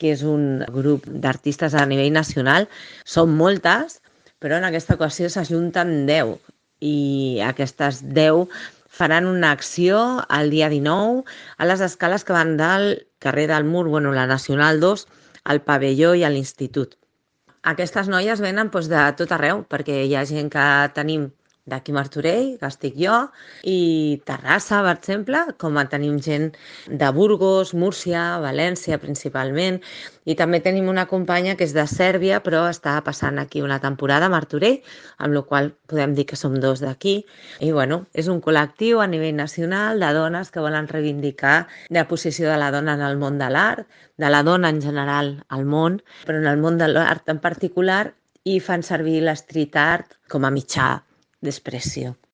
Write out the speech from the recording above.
que és un grup d'artistes a nivell nacional. Són moltes, però en aquesta ocasió s'ajunten 10 i aquestes 10 faran una acció el dia 19 a les escales que van del carrer del Mur, la Nacional 2, al pavelló i a l'Institut. Aquestes noies venen de tot arreu, perquè hi ha gent que tenim d'aquí Martorell, que estic jo, i Terrassa, per exemple, com tenim gent de Burgos, Múrcia, València, principalment, i també tenim una companya que és de Sèrbia, però està passant aquí una temporada a Martorell, amb la qual podem dir que som 2 d'aquí, i és un col·lectiu a nivell nacional de dones que volen reivindicar la posició de la dona en el món de l'art, de la dona en general al món, però en el món de l'art en particular, i fan servir l'street art com a mitjà d'expressió.